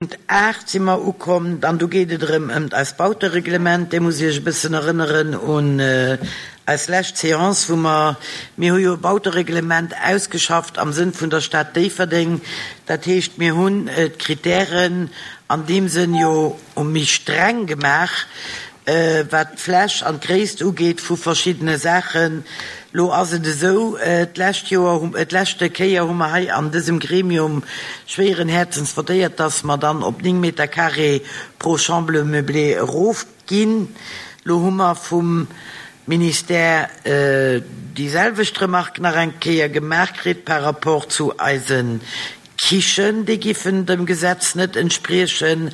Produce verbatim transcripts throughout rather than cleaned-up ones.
Punkt aacht si mer ukomm, an do geet et erëm ëm eist Bautereglement. Dir musst Iech e bëssen erënneren un eis lescht Séance, wou mer, mir hu jo e Bautereglement ausgeschafft am Sënn vun der Stad Déifferdeng. Dat heescht, mir hunn d'Kritären an deem Sënn jo méi streng gemaach, wat d'Fläch an d'Gréisst ugeet vu verschiddene Saachen. Lo ass et esou, d'lescht Joer, d'leschte Kéier hu mer hei an dësem Gremium schwéieren Häerzens votéiert, dass mer dann op néng Meter carré pro Chambre meublée erofginn. Lo hu mer vum Ministère déi selwecht Remarque nach eng Kéier gemaach kritt par rapport zu eise Kichen, déi giffen dem Gesetz net entspriechen,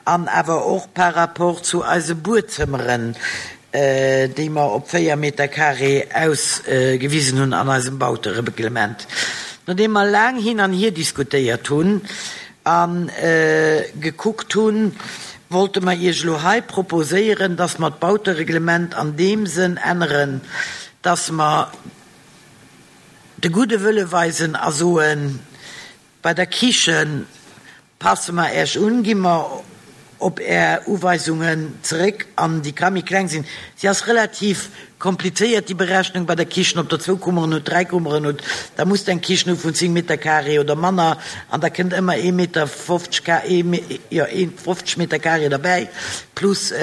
an awer och par rapport zu eise Buedzëmmeren, déi mer op véier Meter carré ausgewisen hunn an eisem Bautereglement. Nodeem mer laang hin an hier diskutéiert hunn a gekuckt hunn, wollte mer Iech elo hei proposéieren, dass mer d'Bautereglement an deem Sënn änneren, dass mer de gudde Wëlle weisen a soen, bei der Kichen passe mer Äech un, gi mer op Är Uweisungen zeréck an déi ka méi kleng sinn. Si ass relativ komplizéiert, déi Berechnung bei der Kichen, ob Der zwou Kummeren hutt, dräi Kummeren hutt, da musst Der eng Kichen hu vun zéng Meter carré oder manner an da kënnt ëmmer ee Meter fofzeg, jo, ee fofzeg Meter carré derbäi plus,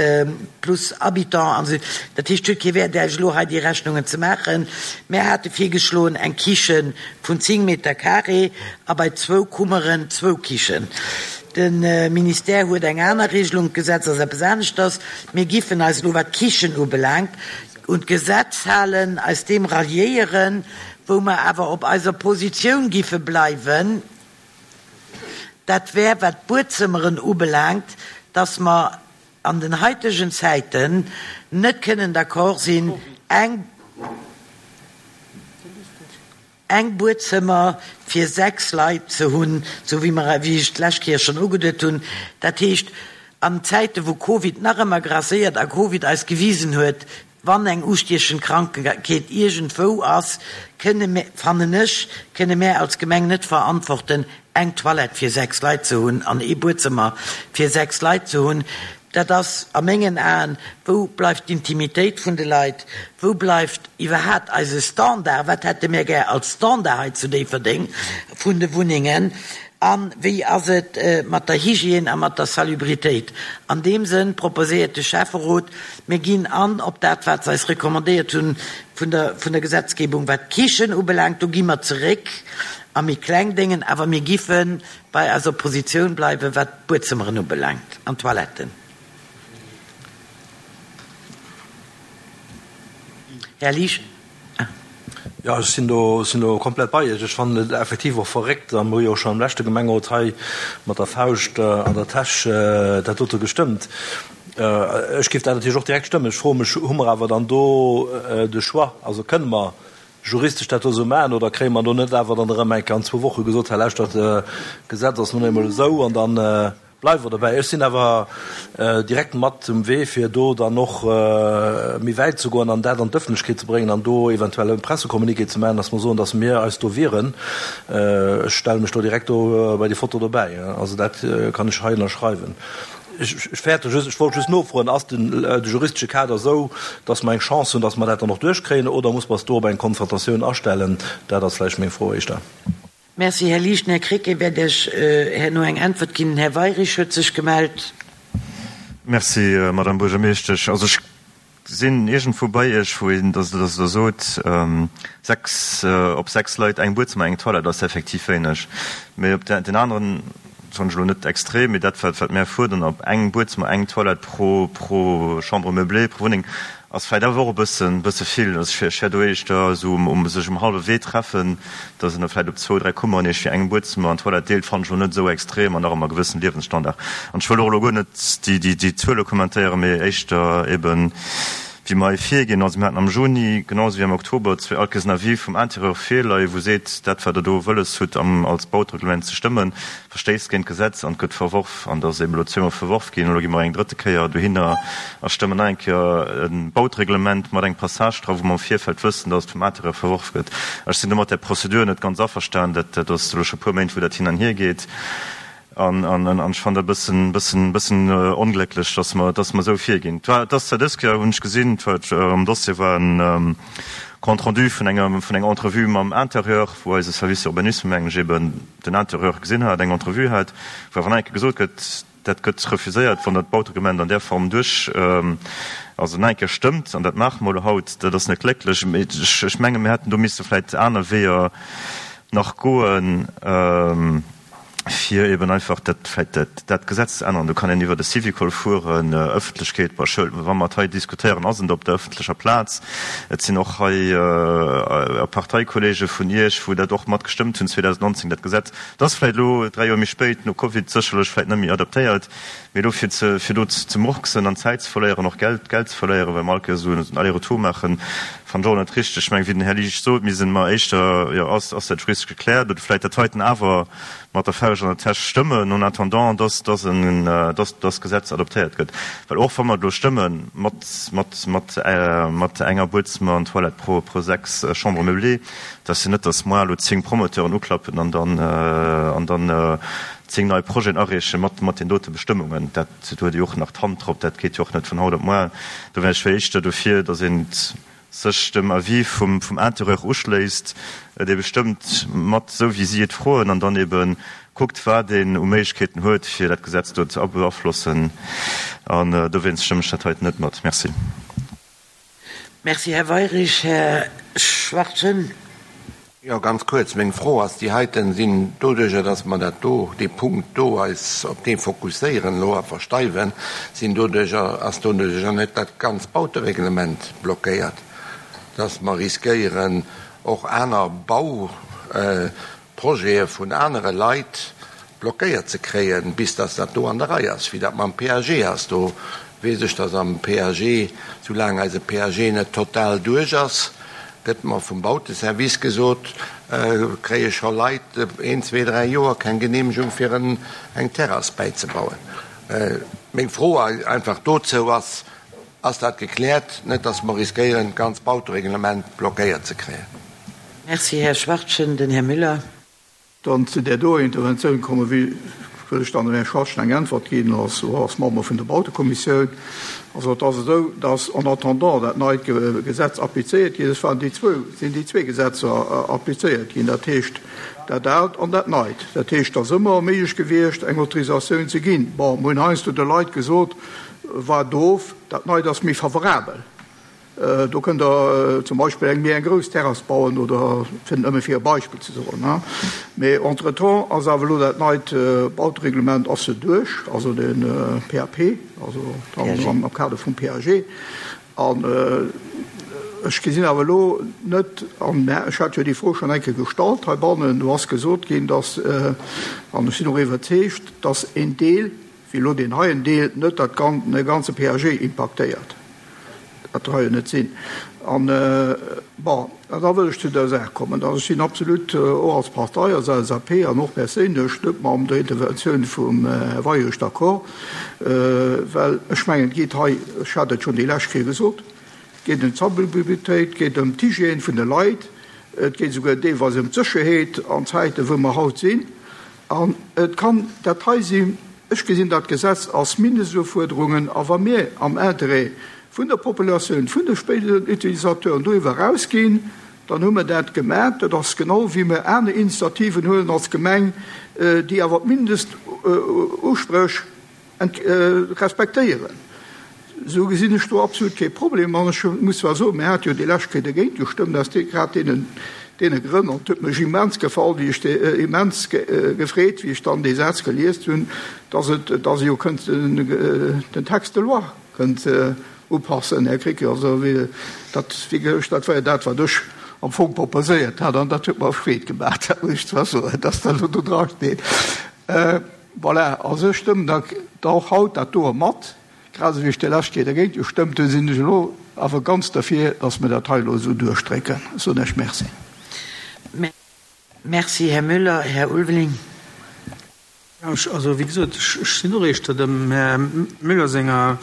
plus Habitant an esou. Dat heescht, et huet kee Wäert, Äech elo hei déi Rechnungen ze maachen. Mär hate virgeschloen, eng Kiche vun zéng Meter carré a bei zwou Kummeren zwou Kichen. De Ministère huet eng aner Regelung, d'Gesetz ass eppes aneschters. Mir giffen eis elo, wat d'Kichen ubelaangt, un d'Gesetz halen, eis deem ralliéieren, wou mer awer op eiser Positioun giffe bleiwen, dat wär, wat d'Buedzëmmeren ubelaangt, dass mer an den haitegen Zäiten net kënnen d'accord sinn, eng. Eng Buedzëmmer fir sechs Leit ze hunn, esou wéi mer, wéi ech d'lescht Kéier schonn ugeduet hunn. Dat heescht, an Zäite wou Covid nach ëmmer grasséiert a Covid eis gewisen huet, wann eng ustiechend Krankheet iergendwou ass, kënne mir, fannen ech, kënne mär als Gemeng net verantworten, eng Toilette fir sechs Leit ze hunn an ee Buedzëmmer fir sechs Leit ze hunn. Dat ass a mengen Aen, wou bleift d'Intimitéit vun de Leit, wou bleift iwwerhaat eise Standard, wat hätte mir gär als Standard hei zu Déifferdeng vun de Wunnengen a wéi ass et mat der Hygiène a mat der Salubritéit. An deem Sënn proposéiert de Schäfferot, mir ginn an op dat, wat se eis recommandéiert hunn vun der, vun der Gesetzgebung, wat d'Kichen ubelaangt, do gi mer zeréck a méi kleng Déngen, awer mir giffe bei eiser Positioun bleiwen, wat d'Buedzëmmeren ubelaangt an d'Toiletten. Här Liesch. Jo, ech sinn do, sinn do komplett bei Iech. Ech fannen et effektiv och verréckt, a mir hu jo och schonn am leschte Gemengerot hei mat der Fauscht an der Täsch dat dote gestëmmt. Ech géif dat natierlech och direkt stëmmen. Ech froe mech, hu mer awer dann do de Choix? Also kënne mer juristesch dat do esou maachen oder kréie mer do net awer dann erëm eng Kéier an zwou Woche gesot, hei lauschtert, d'Gesetz ass nun eemol esou an dann bleiwe mer dobäi. Ech sinn awer direkt mat um Wee, fir do dann och méi wäit ze goen an dat an d'Ëffentlechkeet ze bréngen an do eventuell e Pressecommuniqué ze maachen, dass mer soen, dass mir eis do wieren. Ech stelle mech do direkt do bei déi Foto dobäi. Also dat kann ech hei ënnerschreiwen. Ech fäerte just, ech wollt just nofroen, Ass den de juristesche Kader esou, dass mer eng Chance hunn, dass mer dat dann och duerchkréien, oder muss mer eis do op eng Konfrontatioun astellen? Dat ass vläicht meng Fro éischter. Merci, Här Liesch. Den Här Krecké wäert Iech herno eng Äntwert ginn. Den Här Weyrich huet sech gemellt. Merci, Madame Buergermeeschtesch. Also ech sinn iergendwou bei Iech, wou een, dass Der sot, sechs, op sechs Leit eng Buedzëmmer, eng Toilette ass effektiv wéineg. Mee op den aneren, soen ech elo net extrem, mee dat wat mär fuerderen, op eng Buedzëmmer, eng Toilette pro, pro Chambre meublée, pro Wunneng, ass vläicht awer och e bëssen, bësse vill. Also ech wär do éischter esou um, sech um hallwe Wee treffen, dass een da vläicht op zwou, dräi Kummeren iergendwéi eng Buedzëmmer an Toilette deelt, fannen ech elo net esou extrem an nach ëmmer e gewëssen Liewensstandard. An ech wëll och elo guer net déi, déi, déi Zuele kommentéieren, mee éischter eben, wéi mer hei virginn. Also mir haten am Juni, genau esou wéi am Oktober, zwee all Kéiers en Avis vum Intérieur virleien, wou seet, dat wat Der do wëlles hutt am, als Bautereglement ze stëmmen, verstéisst géint d'Gesetz an gëtt verworf. An dat ass eben elo zweemol verworf ginn. Elo gi mer eng drëtte Kéier dohinner a stëmmen nach eng Kéier e Bautereglement mat engem Passage dra, wou mer am Virfeld wëssen, dass et vum Intérieur verworf gëtt. Ech sinn do mat där Prozedur net ganz averstanen. Dat, dat ass elo scho e puer Méint, wou dat hin an hier geet. An, an, an ech fannen dat e bëssen, bëssen, bëssen onglécklech, dass mer, dass mer esou virginn. Et war, et ass zwar dës Kéier, hunn ech gesinn, et war, am Dossier war en Compte rendu vun enger, vun enger Entrevue mam Intérieur, wou eise Service Urbanisme, mengen ech, eben den Intérieur gesinn hat, eng Entrevue hat, wou awer nach eng Kéier gesot gëtt, dat gëtt refuséiert, wann dat Bautereglement an där Form duerch, also nach eng Kéier stëmmt. An dat maache mer elo haut. Dat ass net glécklech. Mee ech, ech menge mir hätten do misse vläicht aner Weeër nach goen, fir eben einfach dat vläicht dat, dat Gesetz ze änneren. Do kann een iwwer de Syvicol fueren, Ëffentlechkeet, bei Schoul, wa mer et hei diskutéieren, ass et op der ëffentlecher Plaz. Et sinn och hei Parteikollege vun Iech, wou dat och mat gestëmmt hunn zweedausendnonzéng, dat Gesetz. Et ass vläicht elo dräi Joer méi spéit, no Covid, sécherlech vläicht net méi adaptéiert, mee elo fir ze, fir do ze murksen an Zäit ze verléieren, och Geld, Geld ze verléieren, well mer all Kéiers esou en Aller-retour maachen, fannen ech och net richteg. Ech mengen, wéi den Här Liesch sot, mir sinn mer éischter, jo, ass, ass dat juristesch gekläert oder vläicht dat heiten awer mat der Fauscht an der Täsch stëmmen, en attendant, dass, dass en, dass das Gesetz adoptéiert gëtt. Well och wa mer et elo stëmme mat, mat, mat, mat enger Buedzëmmer an Toilette pro, pro sechs Chambres meublées, dat ass jo net, dass moar elo zéng Promoteuren uklappen an dann, an dann zéng nei Projeten areeche mat, mat den dote Bestëmmungen. Dat, do huet ee jo och nach d'Hand drop, dat geet jo och net vun haut op moar. Do wär ech éischter dofir, dass een sech dem Avis vum, vum Intérieur uschléisst, dee bestëmmt mat esou wéi si et froen, an dann ebe kuckt, wat een u Méiglechkeeten huet, fir dat Gesetz do ze beaflossen. An dowéinst stëmmen ech dat heiten net mat. Merci. Merci, Här Weirich. Här Schwachtgen. Jo, ganz kuerz. Meng Fro ass, déi heiten sinn doduerjer, dass mer dat do, dee Punkt do eis op dee fokusséieren elo a versteiwen, sinn doduerjer, ass doduerjer net dat ganz Bautereglement blockéiert, dass mer riskéieren och aner Bauprojete vun anere Leit blockéiert ze kréien, bis dass dat do an der Rei ass, wéi dat mam P A G ass. Do weess ech, dass am P A G, soulaang eise P A G net total duerch ass, gëtt mer vum Bauteservice gesot, kréie scho Leit een, zwee, dräi Joer keng Geneemegung fir eng Terrass bäizebauen. Meng Fro einfach dozou ass, Ass dat gekläert, net dass mer riskéieren, d'ganz Bautereglement blockéiert ze kréien? Merci, Här Schwachtgen. Den Här Müller. Dann zu där doer Interventioun komme wëll ech dann dem Här Schwachtgen eng Äntwert ginn als, als Member vun der Bautekommissioun. Also et ass esou, dass en attendant dat neit Gesetz applizéiert ginn ass, waren déi zwou, sinn déi zwee Gesetzer applizéiert ginn, dat heescht dat aalt an dat neit. Dat heescht, et ass ëmmer méiglech gewiescht, eng Autorisatioun ze ginn. Bon, mer hunn heiansdo de Leit gesot, Waart of, dat neit ass méi favorabel. Do kënnt Der zum Beispill eng méi eng grouss Terrass bauen oder, fir nëmme fir e Beispill ze soen. Mee entretemps ass awer elo dat neit Bautereglement ass jo duerch, also de P A P, also am Kader vum P A G. An ech gesinn awer elo net, an ech hat jo déi Fro schonn eng Kéier gestallt heibannen, do ass gesot ginn, dass, an ech sinn och iwwerzeegt, dass een Deel, wéi elo deen heien Deel, net dat ganze P A G impaktéiert. Dat ka jo net sinn. An, bon, an da wëll ech zu der Saach kommen. Also ech sinn absolut och als Partei, als L S A P an och perséinlech net mam der Interventioun vum Här Weyrich d'accord, well ech mengen, et geet hei, ech hat et schonn déi lescht Kéier gesot, et geet ëm d'Salubritéit, et geet ëm d'Hygiène vun de Leit, et geet esouguer deelweis ëm d'Sécherheet an Zäiten, wou mer haut sinn. An et kann dat hei sinn, ech gesinn dat Gesetz als Mindestufuerderungen, a wa mir am Interêt vun der Populatioun, vun de spéideren Utilisateuren doriwwer erausginn, dann hu mer dat gemaach. Dat ass genau wéi mer aner Initiativen huelen als Gemeng, déi awer d'Mindestuspréch respektéieren. Esou gesinn ech do absolut kee Problem. An ech muss zwar soen, mir hate jo déi lescht Kéier dergéint gestëmmt aus grad deenen, deene Grënn. An et huet mech immens gefall, wéi ech dee, immens gefreet, wéi ech dann dee Saz geliest hunn, dass et, dass ee jo kënnt den Texte de loi kënnt upassen, Här Krecké. Also wéi dat, wéi ech, dat war jo dat, wat ech am Fong proposéiert hat, an dat huet mer Freed gemaach, dat muss ech zwar soen, dass dat elo do drasteet. Voilà, also ech stëmmen da och haut dat doe mat. Grad esou wéi ech déi lescht Kéier dergéint gestëmmt hunn, sinn ech elo awer ganz derfir, dass mer dat hei elo esou duerchdrécken. Ech soen Iech Merci. Merci, Här Müller. Här Ulveling. Jo, ech, also wéi gesot, ech, ech sinn och éischter dem Här Müller senger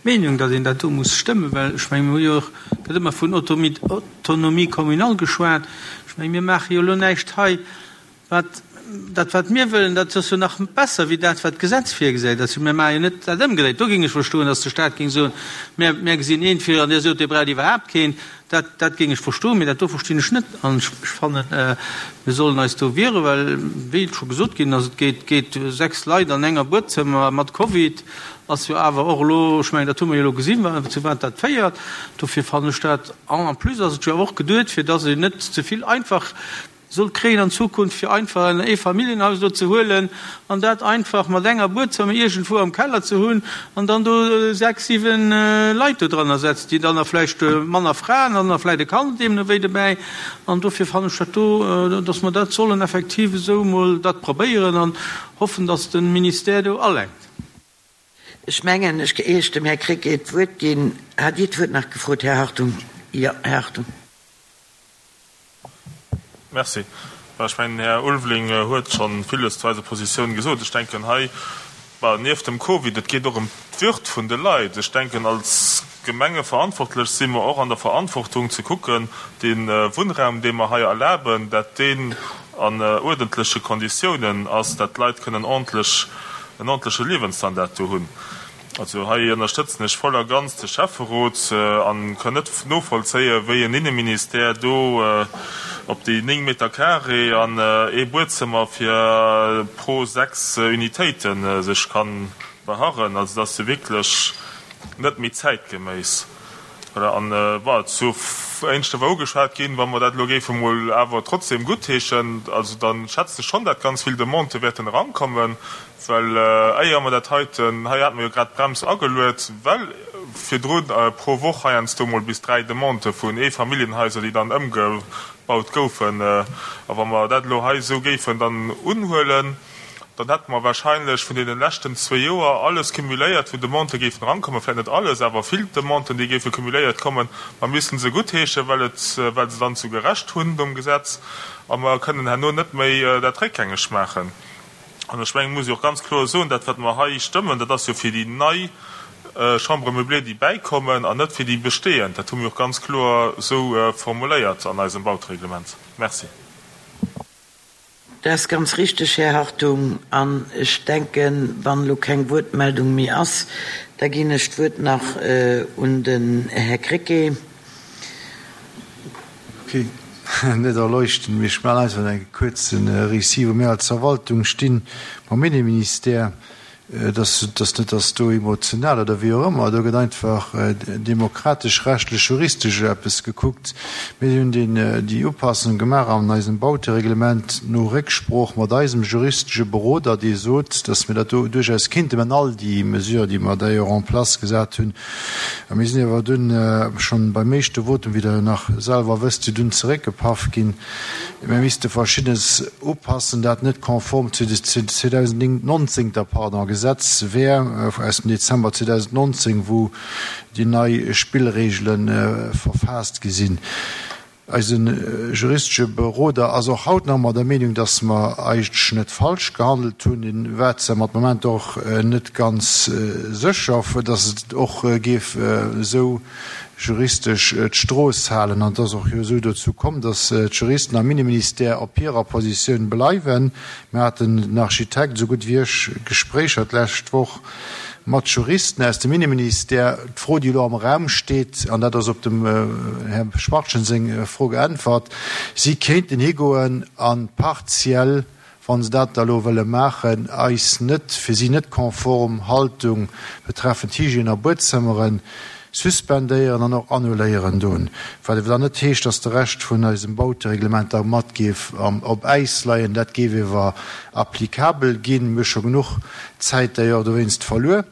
Meenung, datt een dat do muss stëmmen, well ech mengen, mir hu jo och, gëtt ëmmer vun Autonomie communale geschwat. Ech mengen, mir maache jo elo näischt hei, wat, dat wat mir wëllen, dat ass jo nach besser wéi dat wat d'Gesetz virgesäit. Also mir maache jo net dat ëmgedréit. Do géing ech verstoen, datt de Staat géing soen, mir, mir gesinn een vir an Dir sot, Dir braucht iwwerhaapt keen. Dat, dat géing ech verstoen, mee dat do verstinn ech net. An ech, ech fannen, mir sollen eis do wieren, well, wéi et scho gesot ginn ass, et geet, geet sechs Leit an enger Buedzëmmer mat Covid, ass jo awer och elo, ech mengen, dat hu mer jo elo gesinn, zu wat dat féiert. Dofir fannen ech dat, en en plus ass et jo awer och geduet, fir datt een net ze vill einfach soll kréien an Zukunft, fir einfach en Eefamilljenhaus do ze huelen an dat einfach mat enger Buedzëmmer iergendwou am Keller ze hunn an dann do sechs, siwen Leit do dranner setzen, déi dann nach vläicht manner Fraen an da vläicht e Kand deemno wéi dobäi. An dofir fannen ech dat do, dass mer dat sollen effektiv esou emol dat probéieren an hoffen, dass de Ministère do alenkt. Ech mengen, ech ier ech dem Här Krecké d'Wuert ginn, hat Dir d'Wuert nach gefrot, Här Hartung? Jo, Här Hartung. Merci. Ech mengen, den Här Ulveling huet scho villes zu eiser Positioun gesot. Ech denken hei, bah, nieft dem Covid, et geet och ëm d'Würd vun de Leit. Ech denken, als Gemengeverantwortlech si mer och an der Verantwortung ze kucken, dee Wunnraum, dee mer hei erlaben, dat deen an uerdentleche Konditiounen ass, dat d'Leit kënnen ordentlech, en ordentleche Liewensstandard do hunn. Also hei ënnerstëtzen ech voll a ganz de Schäfferot an kann net novollzéien, wéi en Inneministère do op déi néng Meter carré an ee Buedzëmmer fir pro sechs Unitéite sech ka beharren. Also dat ass jo wierklech net méi zäitgeméiss. Voilà, an bon, zu éineschter war ugeschwat ginn, wa mer dat elo géife mol awer trotzdem guttheeschen, also da schätzen ech schonn, dat ganz vill Demandë wäerten erankommen, well éier mer dat heiten, hei hate mer jo grad d'Brems ageluet, well virdrun pro Woch heiansdo mol bis dräi Demandë vun Eefamilljenhaiser, déi dann ëmgebaut goufen, a wa mer dat elo hei esou géifen dann unhuelen, dann hätte mer wahrscheinlech vun deene leschten zwee Joer alles cumuléiert, wou Demandë géifen erankommen, vläicht net alles, awer vill Demanden, déi géife cumuléiert kommen. Mer missten se guttheeschen, well et, well se dann souguer Recht hunn nom Gesetz, a mer kënnen herno net méi dat réckgängeg maachen. An ech mengen, muss ech och ganz kloer soen, dat wat mer hei stëmmen, dat ass jo fir déi nei Chambres meublées, déi bäikommen, an net fir déi bestehend. Dat hu mir och ganz kloer esou formuléiert an eisem Bautereglement. Merci. Dat ass ganz richteg, Här Hartung. An ech denken, wann elo keng Wuertmeldung méi ass, da ginn ech d'Wuert nach un den Här Krecké. Ok, net erleuchten, mee ech maachen einfach e kuerze Récit, wou mir als Verwaltung stinn mam Inneministère. Et ass net, dass do emotional oder wéi och ëmmer, do gëtt einfach demokratesch, rechtlech, juristesch eppes gekuckt. Mir hunn déi Upassung gemaach an eisem Bautereglement no Récksprooch mat eisem juristesche Beroder, dee sot, dass mir dat do duerchaus kinnten, mä all déi Mesure, déi mer d'ailleurs en place gesat hunn, a mir sinn awer dunn schonn beim éischte Votum, wéi Der nach selwer wësst, dunn zeréckgepaff ginn. Mir misste Verschiddenes upassen, dat net konform zu zweedausendnonzéng, pardon, Gesetz wär aus dem Dezember zweedausendnonzéng, wou déi nei Spillregele verfaasst gi sinn. Eise juristesche Beroder ass och haut nach ëmmer der Meenung, dass mer eigentlech net falsch gehandelt hunn. Hien war zwar mat Momenter och net ganz sécher, dass et och géif esou juristesch d'Strooss halen. An et ass och jo esou dozou komm, dass d'Juristen am Inneministère op hirer Positioun bleiwen. Mir haten, den Architekt esou gutt wéi ech, Gespréicher d'lescht Woch mat Juristen aus dem Inneministère. D'Fro, déi elo am Raum steet, an dat ass op dem Här Schmartgen seng Fro geäntwert, si kéinten higoen a partiell, wa se dat da elo wëlle maachen, eis net, fir si net konform Haltung betreffend Hygiène a Buedzëmmeren suspendéieren an och annuléieren doen, wat ewer dann net heescht, dass de Rescht vun eisem Bautereglement da mat géif op Äis leien. Dat géif ewer applicabel ginn. Mir hu scho genuch Zäit d'ailleurs dowéinst verluer,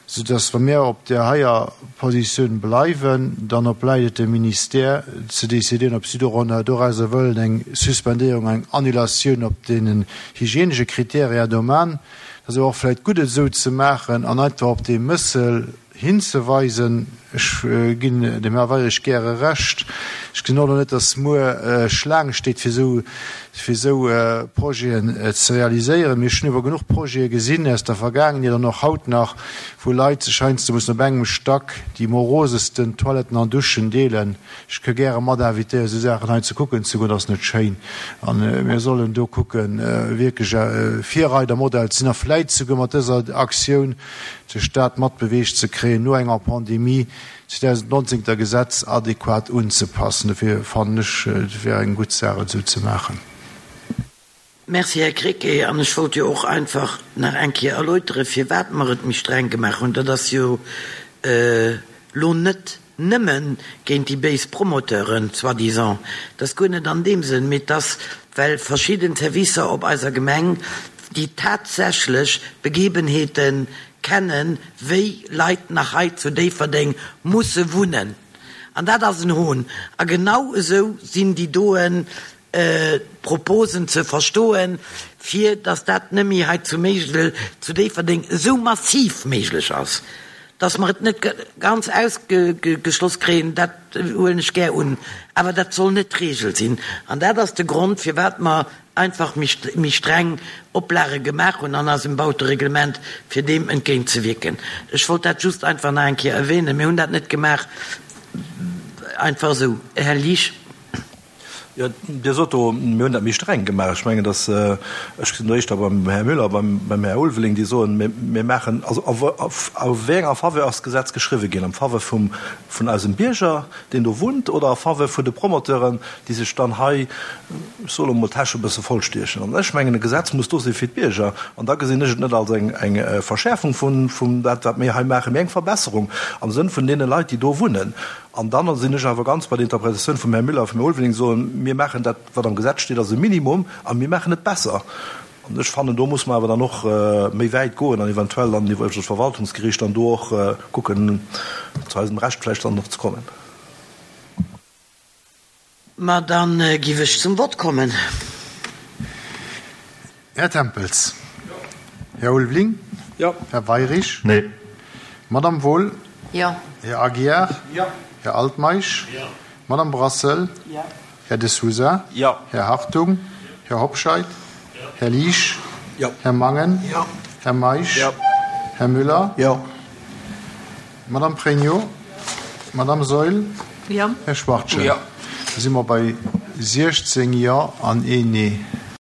soudass, wa mir op där heier Positioun bleiwen, dann obläit et dem Ministère ze décidieren, ob si dorauser wëllen eng Suspendéierung, eng Annulatioun op deenen hygienesche Kriteria do man. Dat ass awer och vläicht gutt, et esou ze maachen an einfach op dee Mëssel hinzeweisen. Ech ginn dem Här Weirich gäre Recht, Ech gesinn och elo net, dass muer Schlaang steet, fir esou, fir esou Projeten ze realiséieren. Mee ech hunn awer genuch Projete gesinn aus der Vergaangenheet an och haut nach, wou Leit sech heiansdo mussen op engem Stack déi morosesten Toiletten an Duschen deelen. Ech ka gäre mat invitéieren, esou Saachen hei ze kucken ze goen. Dat ass net schéin. A mir sollen do kucken, wierklech e Virreidermodell ze sinn a vläit souguer mat dëser Aktioun de Stat mat beweegt ze kréien, no enger Pandemie zweedausendnonzéng der Gesetz adequat unzepassen. Dofir fannen ech, et wär eng gutt Saach, et esou ze maachen. Merci, Här Krecké. An ech wollt jo och einfach nach eng Kéier erläutere firwat mer et méi streng gemaach hunn. Dat ass jo elo net nëmme géint déi béis Promoteuren, soi-disant, dat ass guer net an deem Sënn, mee et ass, well verschidden Servicer op eiser Gemeng, déi tatsächlech Begebenheete kennen, wéi Leit nach hei zu Déifferdeng musse wunnen. An dat ass en Hohn. A genau esou sinn déi doen Proposen ze verstoen, fir datt dat net méi hei zu Méigel, zu Déifferdeng esou massiv méiglech ass, datt mer et net ganz ausgeschloss kréien, dat huelen ech gär un, awer dat soll net d'Regel sinn. An dat ass de Grond, firwat mer einfach méi streng Oplage gemaach hunn an eisem Bautereglement, fir deem entgéintzewierken. Ech wollt dat just einfach nach eng Kéier erwähnen. Mir hunn dat net gemaach einfach esou. Här Liesch. Jo, Dir sot do, mir hunn dat méi streng gemaach. Ech mengen, dass, ech sinn do éischter beim Här Müller, beim, beim Här Ulveling, déi soen, mir, mir maachen, also a a wéi enger Faveur ass d'Gesetz geschriwwen ginn? Am Faveur vum, vun eisem Bierger, deen do wunnt, oder a Faveur vun de Promoteuren, déi sech dann hei, ech soe lo emol, d'Täsch e bësse vollstiechen? An ech mengen, e Gesetz muss do si fir d'Bierger. An da gesinn ech et net als eng, eng Verschäerfung vun, vum dat, wat mir hei maachen, mee eng Verbesserung am Sënn vun deene Leit, déi do wunnen. An dann sinn ech awer ganz bei der Interpretatioun vum Här Müller a vum Här Ulveling, déi soen, Mir maachen dat, wat am Gesetz steet, als e Minimum a mir maachen et besser. An ech fannen, do muss mer awer dann och méi wäit goen an eventuell dann iwwer d'Verwaltungsgericht dann do och kucken, zu eisem Recht vläicht dann och ze kommen. Ma dann giff ech zum Vott kommen. Här Tempels. Jo. Här Ulveling. Jo. Här Weirich. Nee. Madame Wohl. Jo. Här Aguiar. Jo. Här Altmeisch. Jo. Madame Brassel. Jo. Här De Sousa. Jo. Här Hartung. Här Hobscheit. Jo. Här Liesch. Jo. Här Mangen. Jo. Här Meisch. Jo. Här Müller. Jo. Madame Pregno. Madame Saeul. Jo. Här Schwachtgen. Jo. Da si mer bei siechzéng Jo an een Nee.